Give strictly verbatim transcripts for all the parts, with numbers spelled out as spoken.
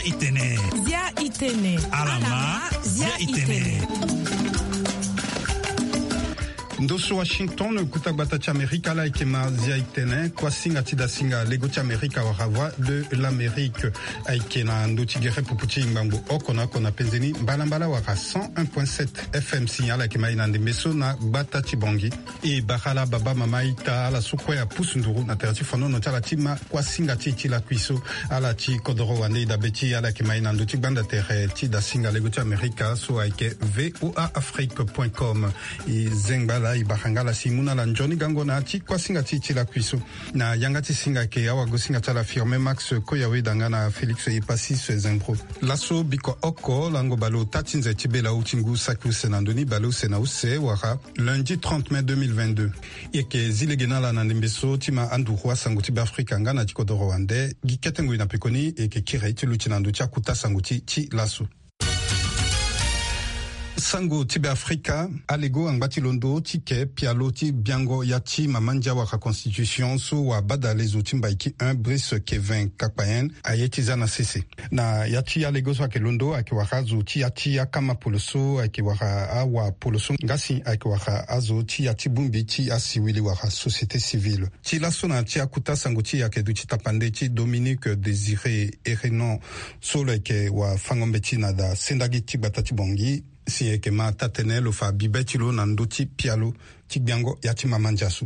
Itene. Zia itene. Alama, zia itene. Ndo so Washington, kuta gbata ti Amerika, ala yeke ma zia itene. Kuasinga ti dasinga lego ti Amerika wala Voix de l'Amérique ayeke na ndo ti gere popo ti ngbangbo oko na oko na penze ni mbalambala wala cent un point sept F M si ala yeke ma e na ndembe so na gbata ti Bangui. E bara ala baba, mama, ita, ala so kue apusu nduru na tere ti fonono ti ala ti ma kuasinga ti e ti lakui so. Ala ti kodoro wande e dabe ti e, ala yeke ma e na ndö ti gbanda tere ti dasinga lego ti Amerika so ayeke V O A Afrique point com. E zengba ala, e bara nga ala si e mu na ala nzoni gango na ya ti kuasinga ti e ti lakui so. Na yanga ti singa ayeke awagosinga ti ala Firmin Max Koyawe danga na Félix Epasis Zembro. Laso biko oko lango baleota ti nze ti bela awu ti ngu saki use na ndö ni baleuse na use wala lundi trente mai deux mille vingt-deux. E yeke zi lege na ala na ndembe so ti ma anduru asango ti Beafrika nga na ti kodoro wande. Gi kete ngoi na pekoni e yeke kiri ti luti na ndö ti akuta sango ti ti laso. Sango ti Beafrika. Alego angba ti londo ti ke pialo ti biango ya ti mama ndia wala constitution so wabadale zo ti Mbaiki un Brice Kevin Kakpayen aye ti za na sese. Na ya ti alego so ayeke londo ayeke wara azo ti ya ti akama polo so ayeke wara awa polo so nga si ayeke wara azo ti ya ti bongbi ti asiwili wara société civile. Ti laso na ti akuta sango ti e ayeke duti tapande ti Dominique Désiré Erenon so lo yeke wafango-mbeti na da sendagi ti gbata ti Bangui si e yeke ma taa-tënë lo fa bibe ti lo na ndö ti pialo ti gbiango ya ti mama ndia so.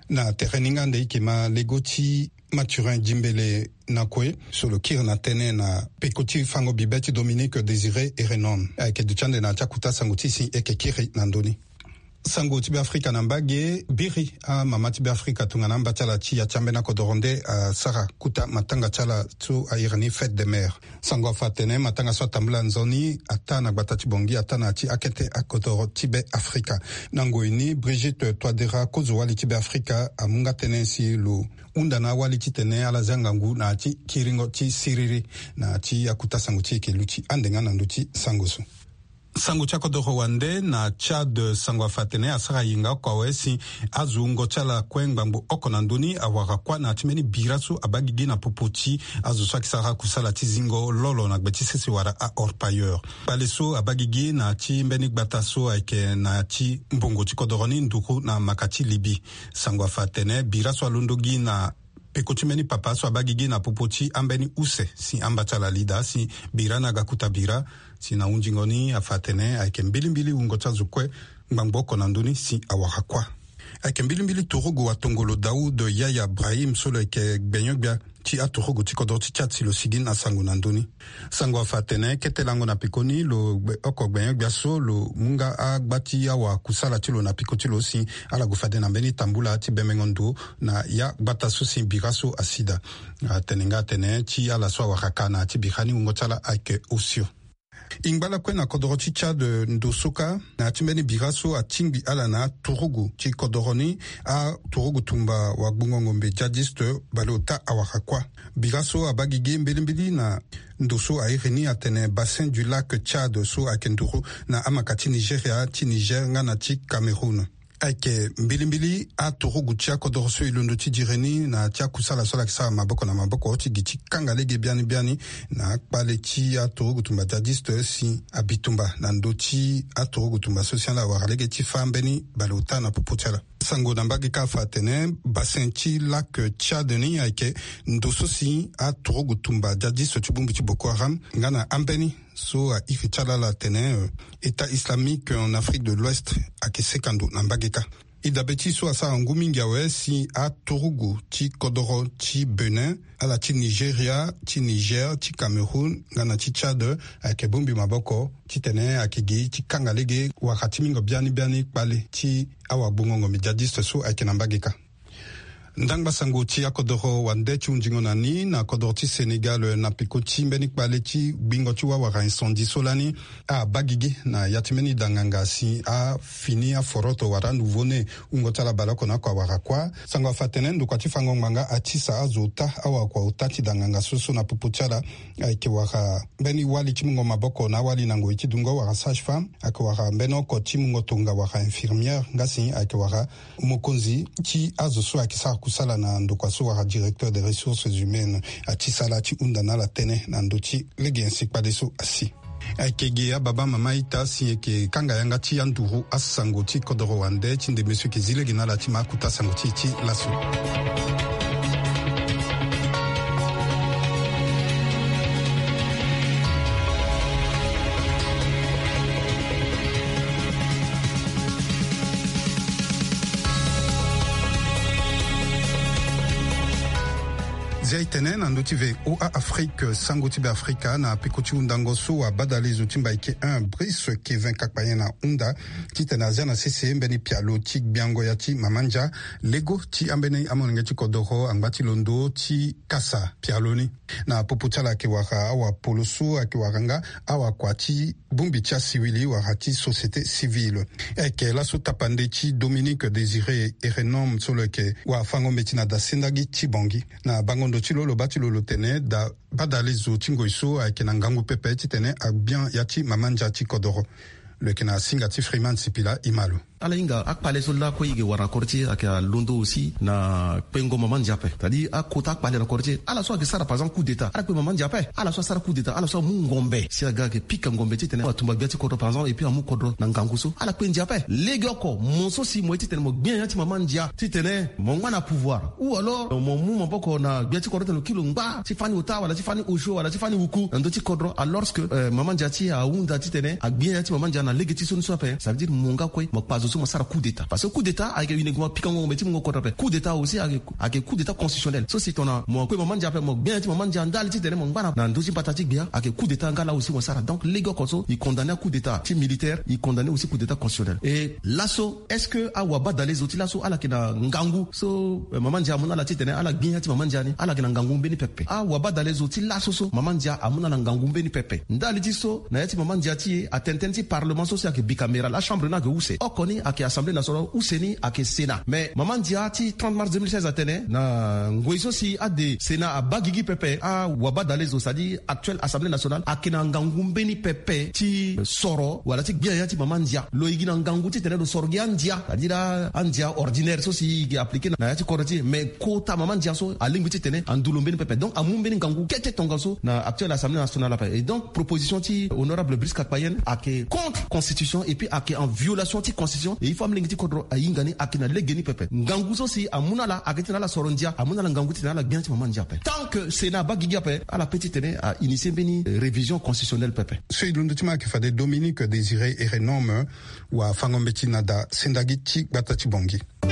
Na tere ni nga nde e yeke ma lego ti Mathurin Djimbélé Nakoué so lo kiri na tënë na peko ti fango bibe ti Dominique Désiré Erenon. Ayeke duti ande na ya ti akuta sango ti e si e yeke kiri na ndö ni. Sango ti Beafrika na mbage. Biri amama ti Beafrika tongana amba ti ala ti ya ti ambeni akodoro nde asara kuta matanga ti ala so a iri ni fête des mères. Sango afa atene matanga so atambula nzoni ataa na gbata ti Bangui, ataa na ya ti akete akodoro ti Beafrika. Na ngoi ni, Brigitte Touadéra, kozo-wali ti Beafrika, amu nga tënë si lo hunda na awali titene ala zia ngangu na ya ti kiringo ti siriri. Na ya ti akuta sango ti e yeke luti ande nga na ndö ti sango so. Sango ti akodoro wande na Tchad, sango afa atene asara yenga oko awe si azo wungo ti ala kue ngbangbo oko na ndö ni awara kuâ na ya ti mbeni bira so abaa gigi na popo ti azo so ayeke sara kusala ti zingo lolo na gbe ti sese wala a-orpailleur. Kpale so abaa gigi na ya ti mbeni gbata so ayeke na ya ti mbongo ti kodoro ni nduru na maka ti Libye. Sango afa atene bira so alondo gi na peko ti mbeni papa so abaa gigi na popo ti ambeni use si amba ti ala li daa si bira ni aga kuta bira. Si na hunzingo ni afa atene ayeke mbilimbili wungo ti azo kue ngbangbo oko na ndö ni si awara kuâ. Ayeke mbilimbili turugu atongolo Daoud Yahya Brahim so lo yeke gbenyo-gbia ti aturugu ti kodoro ti Tchad si lo sigi na sango na ndö ni. Sango afa atene kete lango na pekoni lo gbe-, oko gbenyo-gbia so lo mu nga agba ti awakusala ti lo na peko ti lo si ala gue fade na mbeni tambula ti bembengo ndo na ya gbata so si bira so asi daa. Atene nga atene ti ala so awara ka na ya ti bira ni wungo ti ala ayeke osio. E ngba lakue na kodoro ti Tchad ndo so kâ na ya ti mbeni bira so atingbi ala na aturugu ti kodoro ni, aturugu tumba wagbongo ngombe djihadiste baleota awara kuâ. Bira so abaa gigi mbilimbili na ndo so a iri ni atene Bassin du Lac Tchad so ayeke nduru na amaka ti Nigeria, ti Niger nga na ti Cameroun. Ayeke mbilimbili aturugu ti akodoro so e londo ti dire ni na ya ti akusala so ala yeke sara maboko na maboko ti gi ti kanga lege biani biani na akpale ti aturugu tumba djihadiste si abi tumba na ndö ti aturugu tumba so si ala wara lege ti fâ mbeni baleota na popo ti ala. Sango na mbage kâ afa atene Bassin ti Lac Tchad ni ayeke ndo so si aturugu tumba djihadiste ti bongbi ti Boko Haram nga na ambeni so a iri ti ala ala atene, euh, État islamique en Afrique de l'Ouest ayeke seka ndo na mbage kâ. E dabe ti e so asara ngu mingi awe si aturugu ti kodoro ti Bénin, ala ti Nigeria, ti Niger, ti Cameroun nga na ti Tchad ayeke bongbi maboko titene ayeke gi ti kanga lege wara ti mingo biani biani kpale ti awagbongo ngombe djihadiste so ayeke na mbage kâ. Ndangba sango ti akodoro wande ti hunzingo na ni na kodoro ti Sénégal na peko ti mbeni kpale ti gbingo ti wawara incendie so lani abaa gigi na ya ti mbeni danganga si afini aforoto wala anouveau-né wungo ti ala baleoko na oko awara kuâ. Sango afa atene ndokua ti fango ngbanga atisa azo ota awakua ota ti danganga so so na popo ti ala. Ayeke wara mbeni wali ti mungo maboko na awali na ngoi ti dungo wala sage-femme, ayeke wara mbeni oko ti mungo tonga wala infirmière nga si ayeke wara mokonzi ti azo so ayeke sara kusala na ndokua so wara directeur des ressources humaines, ati sala ti hunda na ala tënë na ndö ti lege nyen si kpale so asi. Ayeke ge ababa mama ita si eke kanga yanga ti anduru asango ti kodoro wande ti ndembe so eke zi lege na ala ti ma akuta sango ti e ti laso. Zia e tene na ndö ti V O A Afrique, sango ti Beafrika na peko ti hundango so wabadale zo ti Mbaike un Brice Kevin Kakpayen ahunda titene azia na sese mbeni pialo ti gbiango ya ti mama ndia lego ti ambeni amolenge ti kodoro angba ti londo ti kasa pialo ni. Na popo ti ala ayeke wara awapolo so ayeke wara nga awakua ti bongbi ti asiwili wala ti société civile. Ayeke laso tapande ti Dominique Désiré Erenome so lo yeke wafango-mbeti na da sendagi ti Bangui. Na bango ndo ti lo, lo baa ti lo lo tene da badale zo ti ngoi so ayeke na ngangu pepe titene agbia ya ti mama ndia ti kodoro. Lo yeke na singa ti Freeman Sipila, e ma lo. Ala hinga akpale so lakue e yeke wara na kodro ti e ayeke alondo aussi na kpengo mama ndia ape. C'est-à-dire akota akpale na kodro ti e. Ala so ayeke sara par exemple coup d'état, ala kpe mama ndia ape. Ala so asara coup d'état, ala so amu ngombe si aga ayeke pika ngombe titene atumba gbia ti kodro par exemple, et puis amu kodro na ngangu so, ala kpe ndia ape. Legeoko mo so si mo ye titene mo gbia ya ti mama ndia titene mo ngba na pouvoir, ou alors mo mu maboko na gbia ti kodro titene lo kiri lo ngba ti fani ota wala ti fani osio wala ti fani wuku na ndö ti kodro, alors que, euh, mama ndia ti e ahunda titene agbia ya ti mama ndia na lege ti sioni so ape. Ça veut dire mo nga kue mo kpa zo so mo sara coup d'état, parce que coup d'état ayeke uniquement pikango ngombe ti mungo kodro ape. Coup d'état aussi ayeke, ayeke coup d'état constitutionnel. So si tongana mo kue mama ndia ape, mo gbia ya ti mama ndia ndali titene mo ngba na, na ndö ti mbata ti gbia, ayeke coup d'état nga la aussi mo sara. Donc legeoko so e condamné coup d'état ti militaire, e condamné aussi coup d'état constitutionnel. Et laso, est-ce que awabadale zo ti laso ala yeke na ngangu so, eh, mama ndia amu na ala titene ala gbia ya ti mama ndia ni, ala yeke na ngangu mbeni pepe? Awabadale zo ti laso so mama ndia amu na ala ngangu mbeni pepe. Ndali ti so, na ya ti mama ndia ti e, atene tënë ti parlement so si ayeke bicaméral, achambre ni ayeke use. Oko ni ayeke Assemblée nationale, use ni ayeke Sénat. Mais mama ndia ti trente mars deux mille seize atene na ngoi so si ade Sénat abaa gigi pepe, awabadale zo, c'est-à-dire actuelle Assemblée nationale, ayeke na ngangu mbeni pepe ti soro wala ti gbia ya ti mama ndia. Lo yeke na ngangu titene lo soro gi andia, c'est-à-dire a, andia ordinaire so si e yeke appliqué na, na ya ti kodro ti e. Mais kota mama ndia so alingbi titene andu lo mbeni pepe. Donc amu mbeni ngangu kete tongaso na actuelle Assemblée nationale ape. Et donc proposition ti honorable Brice Kakpayen ayeke contre constitution et puis ayeke en violation ti constitution. Et il faut amolenge ti kodro ahinga ni ayeke na lege ni pepe. Ngangu so si amu na ala ayeke titene ala soro ndia, amu na ala ngangu titene ala gbia ti mama ndia ape. Tant que Sénat abaa gigi ape, ala pe titene a initié mbeni révision constitutionnelle pepe. So e londo ti ma ayeke fade Dominique Désiré Erenome, wafango-mbeti na da sendagi ti gbata ti Bangui. E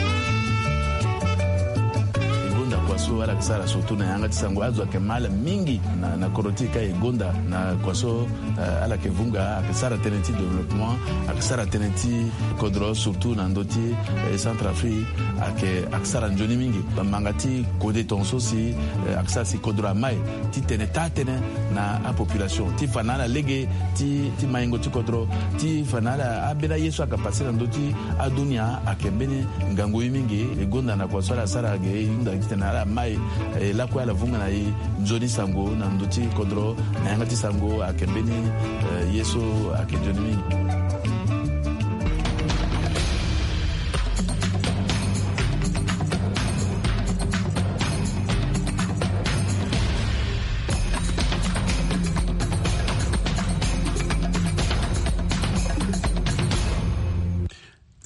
gonda kua so ala yeke sara surtout na yanga ti sango, azo ayeke ma ala mingi na, na kodro ti e ka e gonda na kua so, eh, ala yeke vunga, ayeke sara tënë ti développement, ayeke sara tënë ti kodro surtout na ndö ti, eh, Centrafrique, ayeke, ayeke sara nzoni mingi. Bamanga ti kode tongaso si, eh, ayeke sara si kodro amai titene taa tënë na apopulation ti fa na ala lege ti, ti maingo ti kodro, ti fa na ala ambeni aye so ayeke passé na ndö ti adunia ayeke mbeni ngangu ye mingi. E gonda na kua so ala sara ge, e hunda titene ala mai, e lakue ala vunga na e nzoni sango na ndö ti kodro na yanga ti sango ayeke mbeni, eh, ye so ayeke nzoni mingi.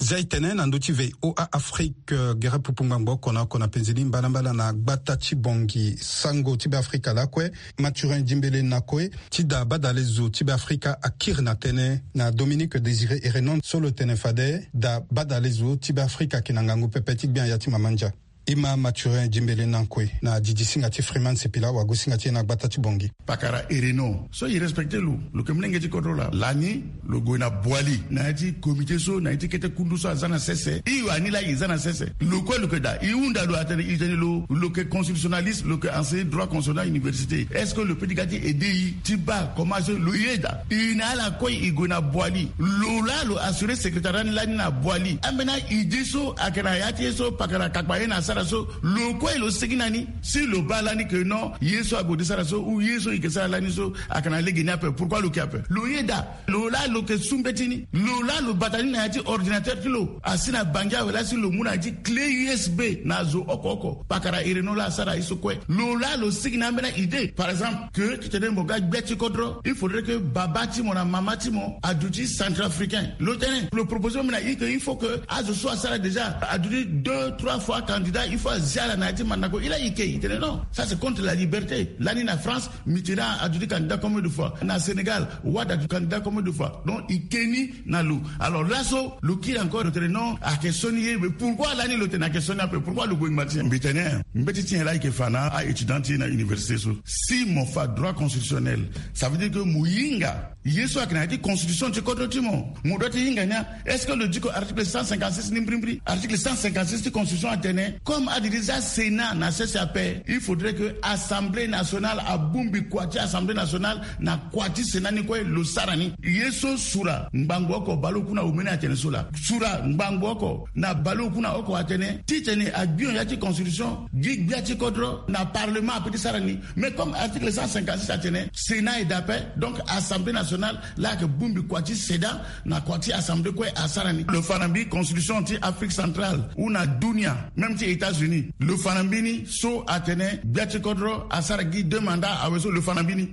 Zia e tene na ndö ti V O A Afrique, eh, gere pupu ngbangbo oko na oko na penze ni mbalambala na gbata ti Bangui. Sango ti Beafrika lakue, Mathurin Dimbele Nakue, ti da badale zo ti Beafrika akiri na tënë na Dominique Désiré Erenome so lo tene fade da badale zo ti Beafrika ayeke na ngangu pepe ti gbia ya ti mama ndia. E ma Mathurin Dimbele Nakue na didi singa ti Freeman Sipila, wago singa ti e na gbata ti Bangui. Pakara Erenome so e respecté lo, lo yeke molenge ti kodro laa. Lani lo gue na Boali na ya ti comité so, na ya ti kete kundu so aza na sese. E wani laa e za na sese. Lo kue lo yeke daa, e hunda lo atene, e tene lo, lo yeke constitutionnaliste, lo yeke enseigné droit constitutionnel à université. Est-ce que lo peut ti ga ti aidé e ti baa comment so lo ye daa? E na ala kue e gue na Boali. Lo laa lo assuré secrétariat ni lani na Boali. Ambeni aidée so ayeke na ya ti e so pakara Kakpayen asara Parce que lo kue lo sigi na ni si lo baa lani ke non, ye so ague ti sara so ou ye so e ke sara lani so ayeke na lege ni ape. Pourquoi lo ke ape? Lo yeda. Lo laa lo ke su mbeti ni. Lo laa lo bata ni na ya ti ordinateur ti lo asi na bangi awe laa si lo mu na ya ti clé U S B na zo oko oko. Pakara ireno laa asara ye so kue. Lo laa lo sigi na ambeni idée par exemple ke titene mo ga gbia ti kodro, il faudrait que baba ti mo na mama ti mo aduti centrafricain. Lo tene lo proposé même na i ke il faut que azo so asara déjà aduti deux trois fois candidat, il faut azia ala na ya ti mandako. I laa i ke i tene non, ça c'est contre la liberté. Lani na France, Mitterrand aduti candidat combien de fois? Na Sénégal, Wade aduti candidat combien de fois? Donc i ke ni na lo. Alors laso lo kiri encore lo tene non, ayeke sioni ye. Mais pourquoi lani lo tene ayeke sioni ape? Pourquoi lo gue ngba ti nyen? Mbi tene mbeti ti nyen laa i ke fa na a-étudiant ti e na université so? Si mo fa droit constitutionnel, ça veut dire que mo hinga ye so ayeke na ya ti constitution ti kodro ti mo. Mo doit ti hinga ni a. Est-ce que lo diko article cent cinquante-six ni mbirimbiri? Article cent cinquante-six ti constitution atene comme adiri za Sénat na sese ape, il faudrait que Assemblée nationale abongbi kua ti Assemblée nationale na kua ti Sénat ni kue lo sara ni. Ye so sura ngbangbo oko baleoku na omeni atene so laa. Sura ngbangbo oko na baleoku na oko atene titene agbio ya ti constitution gi gbia ti kodro na parlement ape ti sara ni. Mais comme article cent cinquante-six atene Sénat eda ape, donc Assemblée nationale laa ayeke bongbi kua ti Sénat na kua ti Assemblée kue asara ni. Lo fa na mbi constitution ti Afrique centrale ou na dunia, même ti États-Unis, lo fa na mbi ni so atene gbia ti kodro asara gi deux mandats awe so, lo fa na mbi ni.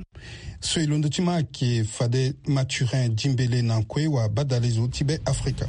So e londo ti ma ayeke fade Mathurin Dimbele na kue wa badalezo ti Be Afrika.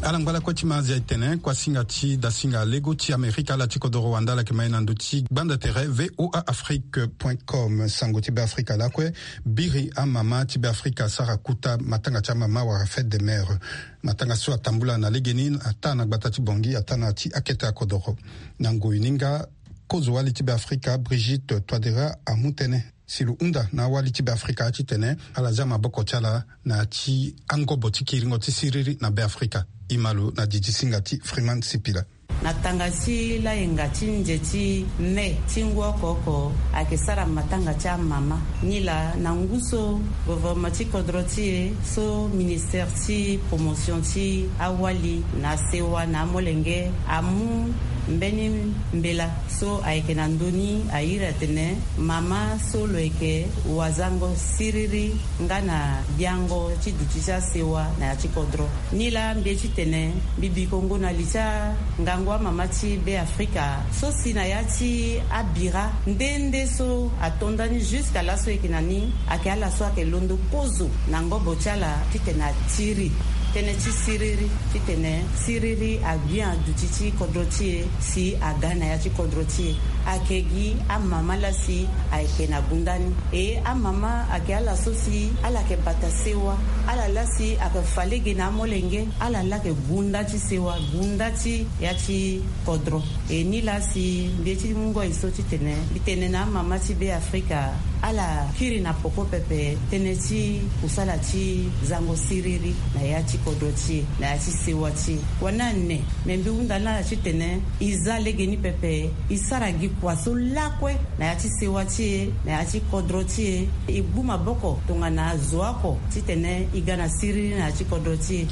Ala ngba lakue ti ma azia e tene kuasinga ti dasinga lego ti Amerika ala ti kodoro wanda ala yeke ma e na ndö ti gbanda tere V O A Afrique point com. Sango ti Be Afrika lakue biri amama ti Be Afrika asara kuta matanga ti amama wala fête des mères. Matanga so atambula na legeni ataa na gbata ti Bangui ataa na ya ti akete akodoro. Na ngoi ni nga, kozo-wali ti Be Afrika Brigitte Touadéra amu tënë si lo hunda na awali ti Be Afrika titene ala zia maboko ti ala na ya ti angobo ti kiringo ti siriri na Be Afrika. E ma lo na didi singa ti Freeman Sipila. Na tanga ti layenga ti nze ti mai ti ngu oko oko ayeke sara matanga ti amama. Nilaa na ngu so gouvernement ti kodro ti e so ministère ti promotion ti awali na asewa na amolenge amu mbeni mbela so ayeke na ndö ni airi atene mama so lo yeke wazango siriri nga na biango ti duti ti asewa na ya ti kodro. Nilaa mbi ye titene mbi bi kongo na li ti angangu amama ti Be Afrika so si na ya ti abira nde nde so ato nda ni jusqu'à laso e yeke na ni ayeke ala so ayeke londo kozo na ngobo ti ala titene atiri tënë ti siriri titene siriri agbi na duti ti kodro ti e si aga na ya ti kodro ti e. Ayeke gi amama laa si ayeke na gunda ni. E amama ayeke ala so si ala yeke bata sewa, ala laa si ayeke fa lege na amolenge, ala laa ayeke gunda ti sewa, gunda ti ya ti kodro. E nilaa si mbi ye ti mu ngoi so titene mbi tene na amama ti Be Afrika ala kiri na poko pepe tënë ti kusala ti zango siriri na ya ti kodro ti e, na ya ti sewa ti e. Wani ane, me mbi hunda na ala titene e za lege ni pepe, e sara gi kua so lakue na ya ti sewa ti e, na ya ti kodro ti e. E gbu maboko tongana azo oko titene e ga na siriri na ya ti kodro ti e.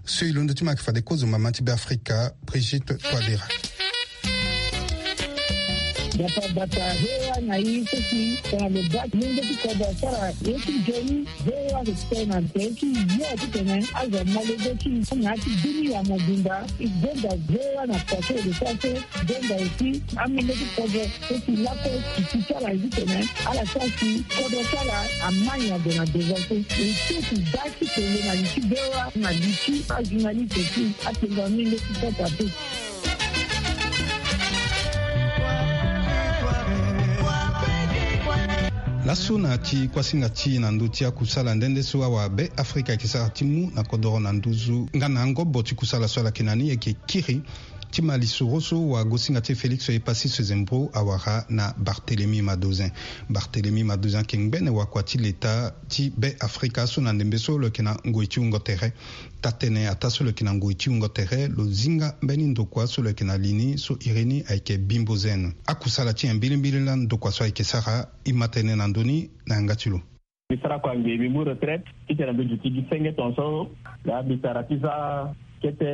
So e londo ti ma ayeke fade kozo mama ti Be Afrika Brigitte Touadéra. Bata bata hewa na i so si tongana lo baa ti lenge ti kodro asara ye ti nzoni. Ve wa respect na tere ti yo titene azo amolenge ti na ya ti dunia mobimba. E gbenda ve wa na kua so e lo sara so. Gbenda aussi amolenge ti kodro so si lakue si ti sara ye titene ala sara si kodro ti ala amai na gue na devant so. E so si da ti tene na li ti ve wa na li ti ajournaliste ti atene amolenge ti kota pe. Laso na ya ti kuasinga ti e na ndö ti akusala nde nde so awa Be Afrika ayeke sara ti mu na kodoro na nduzu nga na angobo ti kusala so ala yeke na ni ayeke kiri ti ma lisoro so wa gosinga ti e Félix Epassis Sezembro awara na Barthélemy Madozin. Barthélemy Madozin ayeke ngbene wakua ti leta ti Be Afrika so na ndembe so lo yeke na ngoi ti wungo tere. Taa-tënë ataa so lo yeke na ngoi ti wungo tere lo zinga mbeni ndokua so lo yeke na li ni so iri ni ayeke Bimbo Zen. Akusala ti nyen mbilimbili laa ndokua so ayeke sara? E ma tene na ndö ni na yanga ti lo. Mbi sara kua nge mbi mu retraite titene mbi duti gi senge tongaso. Laa mbi sara ti za kete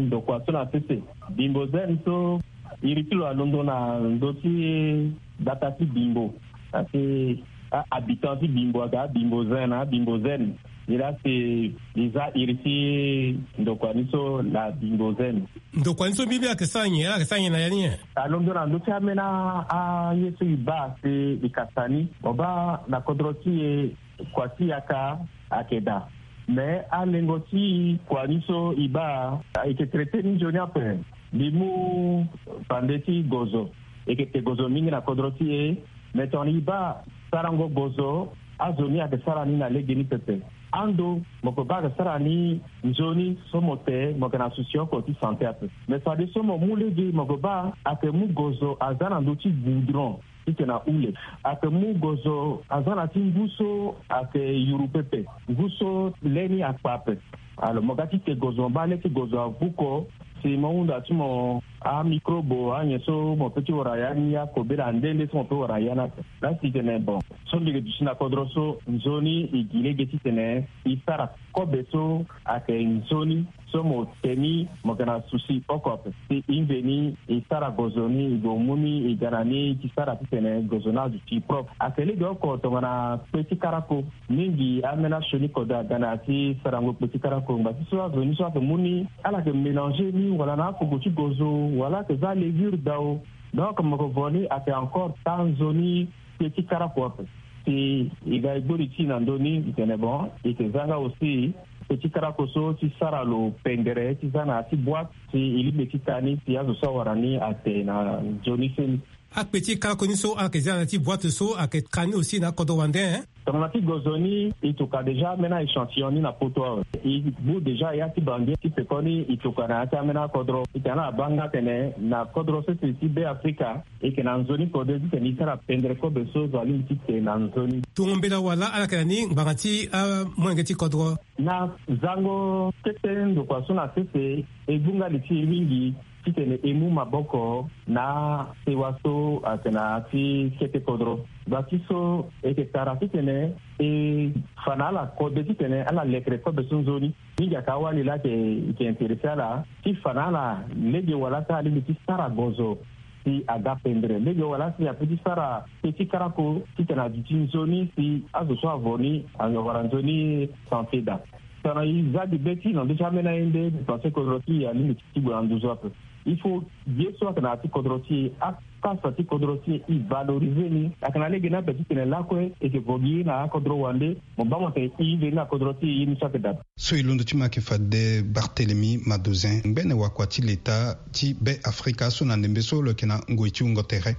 ndokua so na sese. Bimbo Zen so iri ti lo alondo na ndö ti gbata ti Bimbo. Asi a-habitant ti Bimbo aga Bimbo Zen na Bimbo Zen. Nilaa si mbi za iri ti ndokua ni so na Bimbo Zen. Ndokua ni so mbi mbi ayeke sara nyen? Ala yeke sara nyen na ya ni nyen? Alondo na ndö ti ambeni aye so e baa si e kasa ni. Mo baa na kodro ti e kua ti yaka ayeke daa. Me alengo ti kua ni so e baa e yeke traité ni nzoni ape. Mbi mu bande ti gozo. E yeke te gozo mingi na kodro ti e. Me tongana e baa sarango gozo, azo ni ayeke sara ni na legeni pepe. Ando mo yeke baa ayeke sara ni nzoni so mo te mo yeke na souci oko ti santé ape. Me fadeso mo mu lege mo yeke baa ayeke mu gozo aza na ndö ti goudron titene ahule. Ayeke mu gozo aza na ti ngu so ayeke yuru pepe, ngu so le ni akpa ape. Alors mo ga ti te gozo mo baa le ti gozo avuko si mo hunda ti mo amicrobe anyen so mo pe ti wara ya ni akobela nde nde so mo pe wara ya ni ape. Laa si tene bon so mbi yeke duti na kodro so nzoni e gi lege titene e sara kobe so ayeke nzoni so mo te ni mo yeke na souci oko ape. Si e mveni e sara gozo ni e gue mu ni e ga na ni e ti sara titene gozo ni aduti propre. Ayeke lege oko tongana kpe ti karako. Mingi ambeni asioni kode aga na ya ti sarango kpe ti karako ngba ti so azo ni so ayeke mu ni ala yeke mélanger ni wala na akogo ti gozo wala ayeke za levure dao. Donc mo yeke vo ni ayeke encore taa nzoni kpe ti karako ape. Si e ga e gbori ti e na ndö ni e tene bon e yeke za nga aussi kpe ti karako so ti sara lo pendere ti za na ya ti boîte si e lingbi ti taa ni si azo so awara ni ate na nzoni seni. Akpe ti karako ni so ala yeke za na ya ti boîte so ayeke taa ni aussi na akodro wande. Tongana ti gozo ni e tuka déjà ambeni a-échantillon ni na poto awe. E bu déjà ya ti bangi ti pekoni e tuka na ya ti ambeni akodro. E tene ala baa nga tene na kodro sese ti Be Afrika e yeke na nzoni kode titene e sara pendere kobe so zo alingbi ti te na nzoni. Tongo mbela wala ala yeke na ni ngbanga ti amolenge ti kodro? Na zango kete ndokua so na sese e gbu nga li ti e mingi titene e mu maboko na sewa so ayeke na ya ti kete kodro. Gba ti so e yeke tara titene e fa na ala kode titene ala lekere kobe so nzoni. Mingi ayeke awali laa ayeke intéressé ala ti fa na ala lege wala so alingbi ti sara gozo si aga pendere lege wala si ape ti sara kpe ti karako titene aduti nzoni si azo so avo ni awara nzoni santé daa. Tongana e za gi be ti e na ndö ti ambeni aye nde mbi pense kodro ti e alingbi ti gue na nduzu ape. Il faut ye so ayeke na ya ti kodro ti e, akasa ti kodro ti e, e valoriser ni. Ayeke na lege ni ape titene lakue e yeke vo gi na akodro wande mo baa mo tene e veni na kodro ti e ye ni so ayeke daa. So e londo ti mo ayeke fade Barthélemy Madozin, ngbene wakua ti leta ti Be Afrika so na ndembe so lo yeke na ngoi ti wungo tere.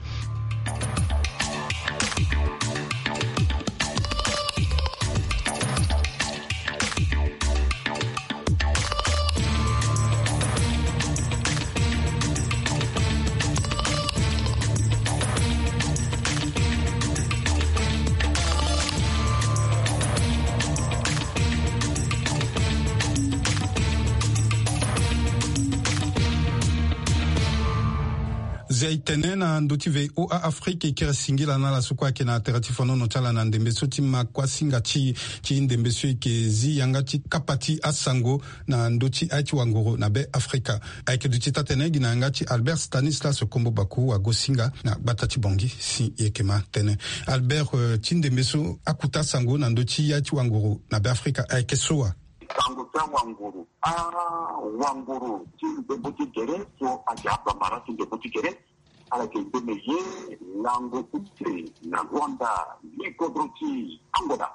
Zia e tene na ndö ti V O A Afrique e kiri singila na ala so kue ayeke na tere ti fonono ti ala na ndembe so ti ma kuasinga ti, ti ndembe so e yeke zi yanga ti kapa ti asango na ndö ti aye ti wanguru na Be Afrika. Ayeke duti taa-tene gi na yanga ti Albert Stanislas Kombo Baku wagosinga na gbata ti Bangui si e yeke ma tene. Albert, eh, ti ndembe so akuta asango na ndö ti aye ti wanguru na Be Afrika ayeke so wa? Sango ti awanguru. Awanguru ti ndembo ti gere so ayeke abamara ti ndembo ti gere. Ala yeke ngbene ye lango use na Luanda, li kodro ti Angola.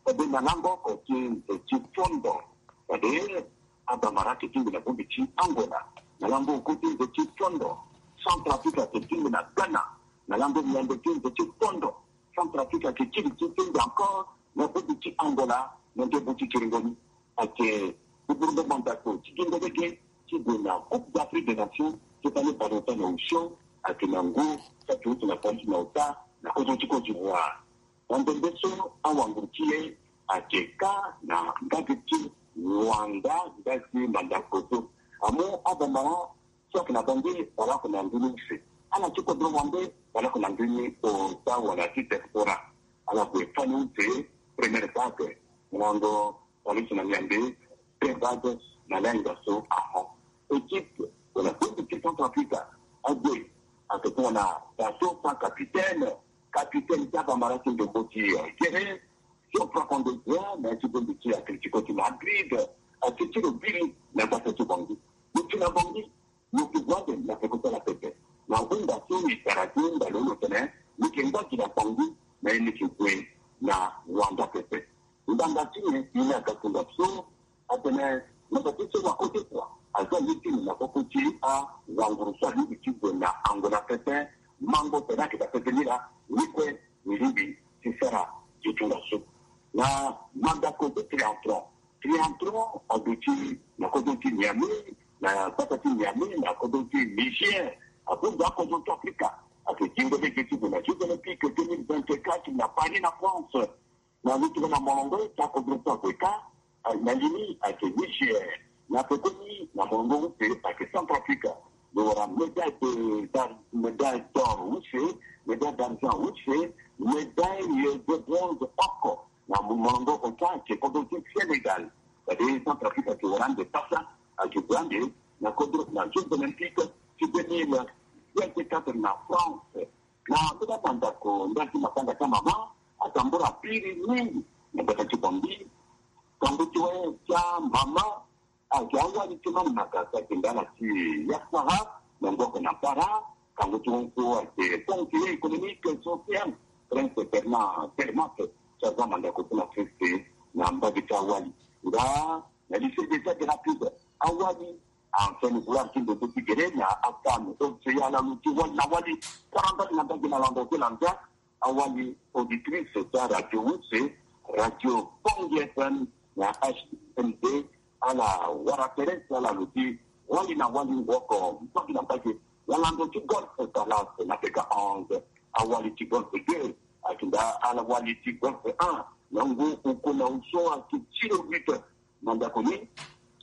Fade na lango oko ti nze ti fondo. Fade abamara ayeke tingbi na bongbi ti Angola na lango oku ti nze ti fondo. Centrafrique ayeke tingbi na Ghana na lango miambe ti nze ti fondo. Centrafrique ayeke kiri ti tingbi encore na bongbi ti Angola na ndembo ti kiringo ni. Ayeke buburungo mandako ti gingo lege ti gue na Coupe d'Afrique des Nations ti fani bale ota na osio. Ayeke na ngu saki uti na fani ti na ota na kozo ti Côte d'Ivoire. Na ndembe so awanguru ti e ayeke kâ na ngagi ti Luanda, ngagi mandako so amu abamara so ayeke na Bangui wala oko na ndö ni use. Ala ti kodro wande wala oko na ndö ni ota wala ti diaspora. Ala gue fani use première vague, na lango Paris na Niambe, deux vagues na lenga so ahon. Équipe wana Centrafrique ague ake tongana baso sans capitaine, capitaine ti abamara ti ndombo ti gere, so frappant de droit na ti bongo ti Atletico ti Madrid, ake ti lo biri na gbata ti Bangui. Lo ti na Bangui, lo ke gue ande na peko ti ala pepe. Na hunda so e tara ti hunda lo lo tene, lo ke ngba gi na Bangui, na ye lo ke gue na Luanda pepe. Ngbanga ti nyen? Ye ni aga kunda so atene, na gbata ti so wa Côte d'Ivoire aza ye ti ni na koko ti awanguru so alingbi ti gue na Angola pepe. Mango tene ayeke daa pepe ni laa, ni kue ni lingbi ti sara gi ti tongaso. Na mandako ti triantron, triantron aduti na kodro ti Niamey, na gbata ti Niamey, na kodro ti Niger, abunda akodro ti Afrika, ayeke gingo lege ti gue na Jeux Olympiques deux mille vingt-quatre na Paris na France. Na lutu na molongo ti akodro ti ague kâ, na li ni ayeke Niger. Na pekoni na molongo use ayeke Centrafrique. Lo wara médaille de, d'ar-, médaille d'or use, médaille d'argent use, médaille de bronze oko. Na molongo ota ayeke kodro ti Sénégal. Fade Centrafrique ayeke wara ande pasa, ayeke gue ande na kodro na Jeux Olympiques ti deux mille vingt-quatre na France. Na ndö ti amandako ndali ti matanga ti amama atambula piri mingi na gbata ti Bangui. Kangu ti wâ ti amama ayeke awali ti Mani Magasa ayeke ndala ti Yasara na ngoko na Para. Kangu ti wâ so ayeke conseiller économique social, Prince Bernard Termat, so aza mandako ti na Prince na mbage ti awali. Nga na lycée d'état de rapide awali, ancien vouloir ti ndembe ti gere na afam océan ala lo ti wali na wali. Tara mbage na mbage na lando ti lanza. Awali auditrice ti aradio use, radio Bangui F M na H M D, ala wara tere ti ala lo ti wali na wali woko mbage na mbage na lando ti golfe Palace na peka onze, awali ti golfe deux, ayeke nda ala wali ti golfe un na ngu oko na use ayeke ti lo huit. Mandako ni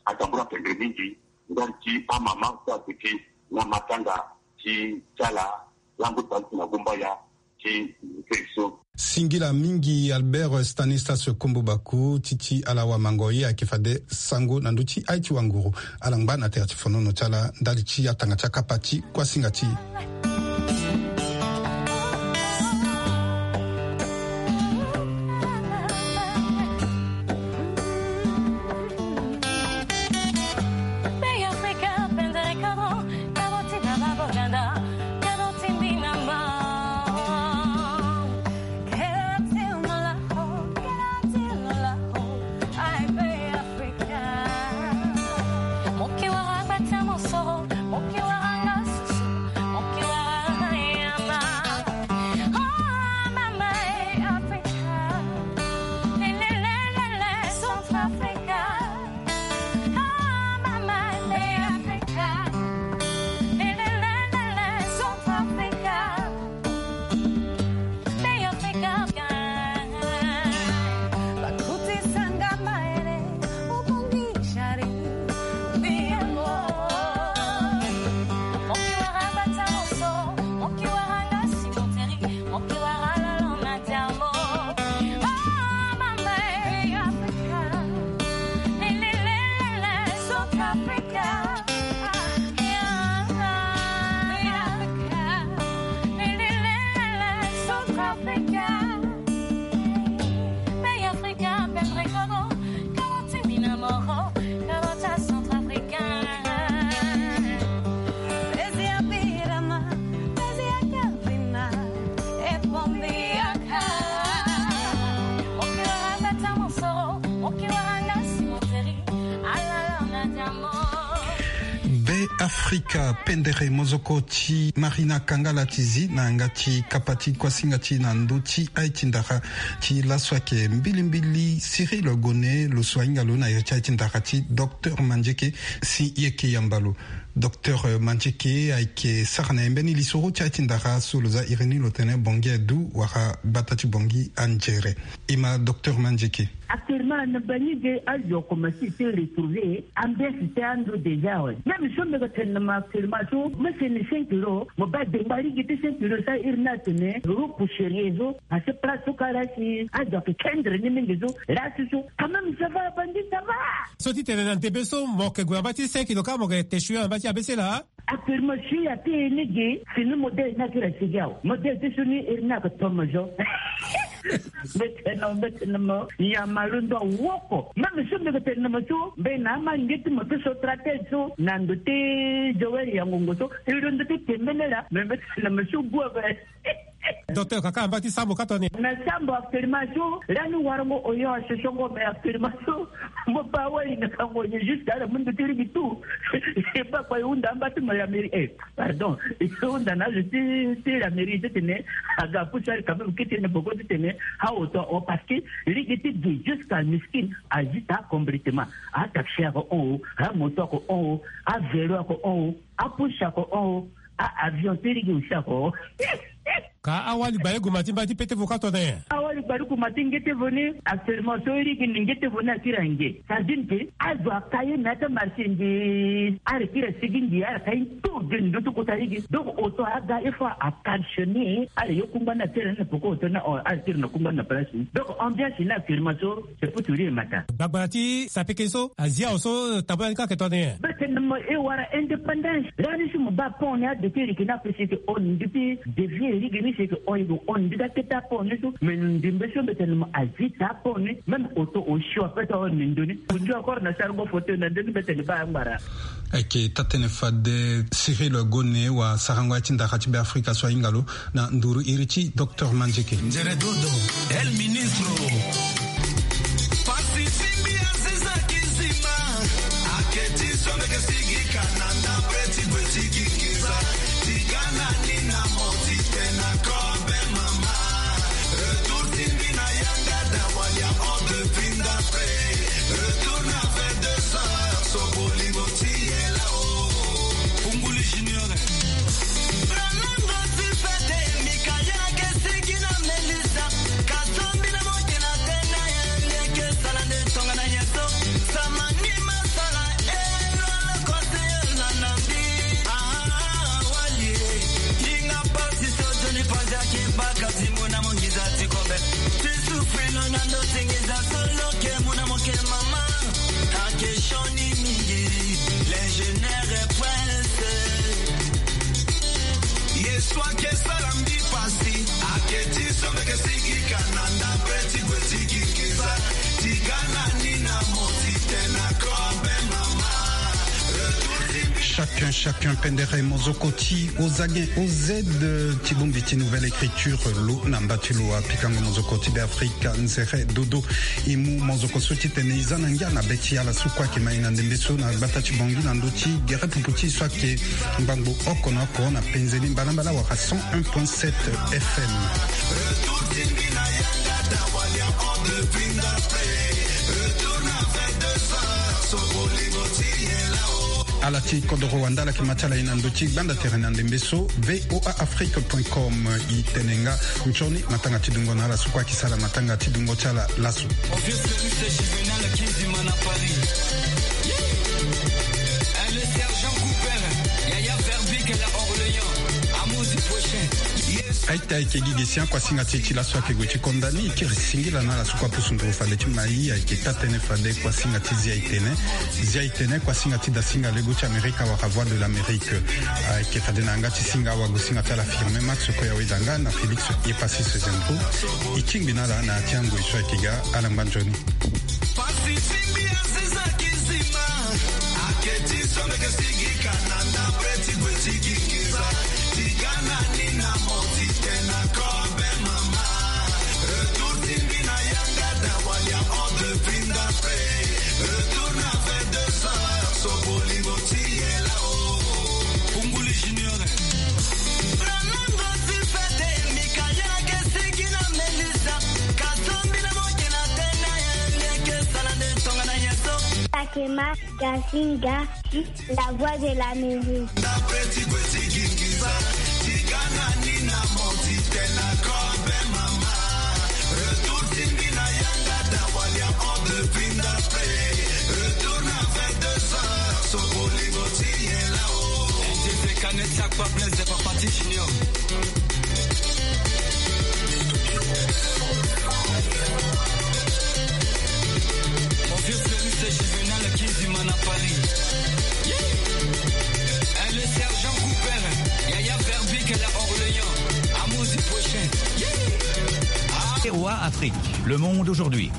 atambula pendre mingi ndali ti amama so aduti na matanga ti ti ala lango ti bale ti na gumbaya ti nze so. Singila mingi Albert Stanislas Kombo Baku ti ti ala wamango ye ayeke fade sango na ndö ti aye ti wanguru. Ala ngba na tere ti fonono ti ala ndali ti atanga ti akapa ti kuasinga ti e. Be Afrika, pendere mozoko ti Marina Kangala ti zi na yanga ti kapa ti kuasinga ti na ndö ti aye ti ndara ti laso ayeke mbilimbili Cyril Gone, lo so ahinga lo na iri ti aye ti ndara ti Docteur Mandieke, si yeke yamba lo. Docteur Mandieke ayeke sara na e mbeni lisoro ti aye ti ndara so lo za iri ni lo tene Bongi adu wala bata ti Bongi anzere. E ma Docteur Mandieke. Actuellement na bangi ge azo akomanse ti retrouver ambiance ti ando déjà awe. Même so mbi yeke tene na mo actuellement so mo sene cinq euros, mo baa dengba lege ti cinq euros so iri ni atene euro pour sérieux so. Parce que place so kara si azo ayeke kendre ni mingi so. Là so so quand même ça va, bangi, ça va. So ti tene na ndembe so mo yeke gue na mba ti cinq euros kâ, mo yeke te sui na mba ti abese laa. Actuellement si ya ti e ni ge, fini modèle ni akiri asigi awe. Modèle ti so ni iri ni ayeke tomo zo. Mbi tene na mo, mbi tene na mo, nyama londo awoko. Même so mbi yeke tene na mo so mbi na ama nge ti mo ti so tratele so na ndo ti Joël Yangongo so, e londo ti tembele laa. Mais mbi tene na mo so gue ape. Docteur, kaka amba ti sambo ka toni. Na sambo actuellement so lani warango oyo asosongo, mais actuellement so mo baa wali na kango ye jusqu'à la mundu ti ligi tout. E baa kua e hunda amba ti mo ya mairie, eh, pardon, e hunda na azo ti, ti la mairie ti tene aga apusu ali quand même kete na boko ti tene aoto o, parce que ligi ti gi jusqu'à miskin azita complètement. Ataxi ako hon o, amoto ako hon o, avelo ako hon o, apusu ako hon o, a avion ti ligi aussi ako hon o. Ka awali gbale guma ti mba ti pete vo ka tone. Awali gbale guma ti nge ti vo ni, actuellement so iri gi ni nge ti vo ni akiri ange. Ça veut dire que azo aka ye na ya ti amarché nge, ala kiri asigi nge, ala ka ye tout de ndo ti kota ligi. Donc oto aga il faut a caltionner, ala yo kungba ni atere ni na poko oto ni, ala kiri na kungba ni na place ni. Donc ambiance ni actuellement so c'est pour tout dire mata. Gbagbara ti sapeke so azia awe so tabula ni ka yeke tone. Mbi tene na mo e wara indépendance. Lani si mo baa pont ni adoki e yeke na ape si e yeke hon depuis depuis e lege ni si e yeke hon e yeke hon ndika kete apont ni so. Mais ndembe so mbi tene na mo azita apont ni. Même oto osio ape ti ahon ni ndo ni. Kundu encore na sarango fauteuil na ndo ni mbi tene baa angbara. Ayeke taa tënë fade Cyril Gone wa sarango ya ti ndara ti Beafrika so ahinga lo na nduru iri ti Docteur Mandieke. Nzere dodo, el ministro. Pasi ti mbi aziza kizima. Ake ti so mbi yeke sigi ka na ndapre ti gue ti gi nginza. Ti ga na ni na mo ti tene na kobe mama. Retour ti mbi na yanga da walia o depuis ndapre. Retour na vingt-deux heures so bolingo ti ye lao. Pungulu Junior. Bralongo ti fete, Mikaela ke sigi na Melissa. Kasombi na moke na tena ye, nde ke sala nde tonga na ye so. Sama ni masala, e lolo kose yo na nambi. Ah, walie. Yinga pasi so Johnny Panza ki baka ti mona mo nginza ti kobe. Ti souffrir lo na ndo ti nginza solo ke mona mo ke mama. Ake sioni mingi, l'ingénieur est pressé. Ye so ake sara mbi pasi, ake ti so mbi yeke sigi ka na ndapre ti gue ti gi nginza. Ti ga na ni na mo ti tene na kobe mama. Retour ti mbi. Chacun, chacun, pendere mozoko ti O Z, O Z, ti bongbi ti Nouvelle Écriture, lo na mba ti lo apikango mozoko ti Beafrika, nzere dodo. E mu mozoko so ti tene e za na ngia na be ti ala so kue ayeke ma e na ndembe so na gbata ti Bangui na ndö ti gere pupu ti e so ayeke ngbangbo oko na oko na penze ni mbalambala wala cent un point sept F M. Ala ti kodoro wanda ala yeke ma ti ala e na ndö ti gbanda tere na ndembe so, V O A Afrique point com. E tene nga nzoni matanga ti dungo na ala so kue ayeke sara matanga ti dungo ti ala laso. Obvious Felix Juvenal Kizima na Paris. Eh, le sergent Cooper, Yaya Verbeek la Orléans, Amos Prochain. Yes. Aita ayeke gi gi sian kuasinga ti e ti laso ayeke gue ti konda ni, e kiri singila na ala so kue apusu nduru fade ti ma e. Ayeke taa tënë fade kuasinga ti Zia e tene. Zia e tene kuasinga ti dasinga lego ti Amerika wala Voix de l'Amérique. Ayeke fade na yanga ti singa awagosinga ti ala Firmin Max Koya Wedanga na Félix Yepassis Zembro. E tingbi na ala na ya ti angoi so ayeke ga, ala ngba nzoni. Pasi ti mbi aziza kizima. Ake ti so mbi yeke sigi ka na ndapre ti gue ti gi nginza. Ti ga na ni na mo ti tene na kobe mama. Retour ti mbi na yanga da walia o depuis ndapre. Retour na vingt-deux heures so bolingo ti ye lao. Pungulu Junior. Bralongo ti fete, Mikaela ke sigi na Melissa. Kasombi na moke na tena ye, nde ke sala nde tonga na ye so. Kema Gasinga, la voix de l'Amérique. Mon vieux Fleurus, c'est Juvenal Kizimana Paris. Yeah. Eh, le sergent Cooper, Yaya Verbic, la Orléans. Amour du prochain. Yeah. Ah. V O A Afrique, le monde aujourd'hui.